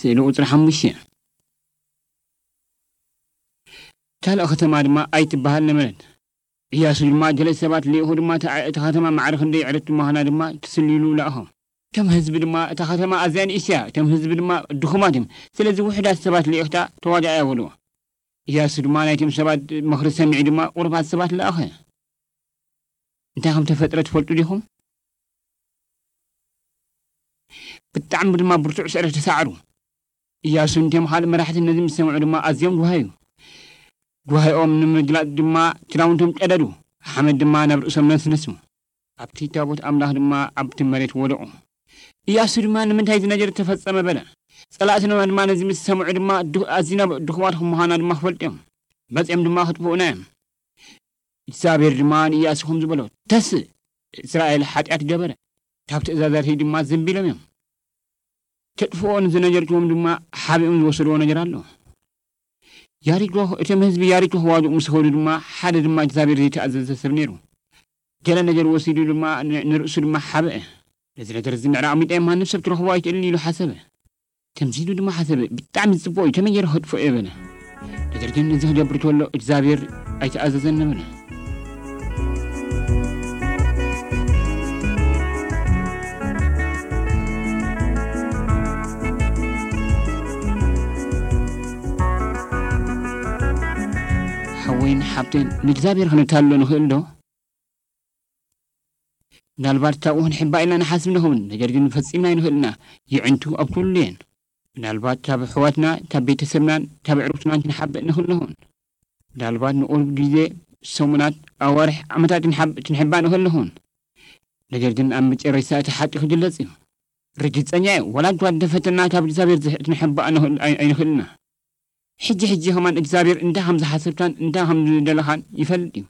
ስእሊ ቁጽሪ ሓሙሽተ። ካልእ ከተማ ድማ ኣይትበሃል ነበረት። ኢያሱ ድማ ገለ ሰባት ልኢኹ ድማ፣ እታ፣ እታ ከተማ ማዕረ ክንደይ ዕርክቲ ምዃና ድማ ትስልይሉ ለኣኾ። እቶም ህዝቢ ድማ፣ እታ ከተማ ኣዝያ ንእሽቶ እያ፣ እቶም ህዝቢ ድማ ድኹማት እዮም። ስለዚ ውሑዳት ሰባት ልኢኽታ ተዋጋእያ በልዎ። ኢያሱ ድማ ናይቶም ሰባት ምኽሪ ሰሚዑ ድማ ቁሩባት ሰባት ለኣኸ። እንታይ ከም ተፈጥረ ትፈልጡ ዲኹም? ብጣዕሚ ድማ ብርቱዕ ስዕረት ተሳዕሩ። ኢያሱን እቶም ካልእ መራሕትን ነዚ ምስ ሰምዑ ድማ ኣዝዮም ጓሃዩ። ጓሂኦም ንምግላጽ ድማ ክዳውንቶም ቀደዱ፣ ሓመድ ድማ ናብ ርእሶም ነስነሱ። ኣብቲ ታቦት ኣምላኽ ድማ ኣብቲ መሬት ወደቑ። ኢያሱ ድማ፣ "ንምንታይ እዚ ነገር ተፈጸመ?" በለ። ጸላእትና ድማ ነዚ ምስ ሰምዑ ድማ፣ ዱ-፣ ኣዚና ድኹማት ከም ምዃና ድማ ክፈልጡ እዮም። መጺኦም ድማ ክጥፍኡና እዮም። እግዚኣብሔር ድማ ንኢያሱ ከምዚ በሎ፣ "ተስእ፣ እስራኤል ሓጢኣት ገበረ፣ ካብ ትእዛዛትይ ድማ ዘንቢሎም እዮም። ከጥፍኦ ንዝነገርክዎም ድማ ሓቢኦም ዝወሰድዎ ነገር ኣሎ። ያሪኮ፣ እቶም ህዝቢ ያሪኮ ክዋግኡ ምስ ኸዱ ድማ፣ ሓደ ድማ እግዚኣብሔር ዘይተኣዘዘ ሰብ ነይሩ። ገለ ነገር ወሲዱ ድማ ን-፣ ንርእሱ ድማ ሓብአ። ነዚ ነገር እዚ ምዕራቕ ሚጠ ማንም ሰብ ክረኽቦ ኣይክእልን" ኢሉ ሓሰበ። ከምዚ ኢሉ ድማ ሓሰበ፣ "ብጣዕሚ ዝጽቡቕ እዩ፣ ከመይ ገይረ ከጥፍኦ እየ?" በለ። ነገር ግን እዚ ክገብር ከሎ እግዚኣብሔር ኣይተኣዘዘን ነበረ። ሓወይን ሓብተን፣ ንእግዚኣብሔር ክንታሎ ንኽእል ዶ? ምናልባት ካብኡ ክንሕባእ ኢልና ንሓስብ ንኸውን፣ ነገር ግን ፈጺምና ኣይንኽእልና። የዕንቱ ኣብ ኩሉ እየን። ምናልባት ካብ ኣሕዋትና፣ ካብ ቤተሰብናን ካብ ኣዕሩኽትናን ክንሓብእ ንኽእል ንኸውን። ምናልባት ንቑሩብ ግዜ፣ ሰሙናት፣ ኣዋርሕ፣ ዓመታት ክንሓብ-፣ ክንሕባእ ንኽእል ንኸውን። ነገር ግን ኣብ መጨረሽታ እቲ ሓቂ ክግለጽ እዩ። ርግጸኛ እየ፣ ዋላ እኳ እንተፈተና ካብ እግዚኣብሔር ዝሕ-፣ ክንሕባእ ንኽእል ኣይ-፣ ኣይንኽእልና። ሕጂ ሕጂ ከማን እግዚኣብሔር እንታይ ከም ዝሓሰብካን እንታይ ከም ዝደለኻን ይፈልጥ እዩ።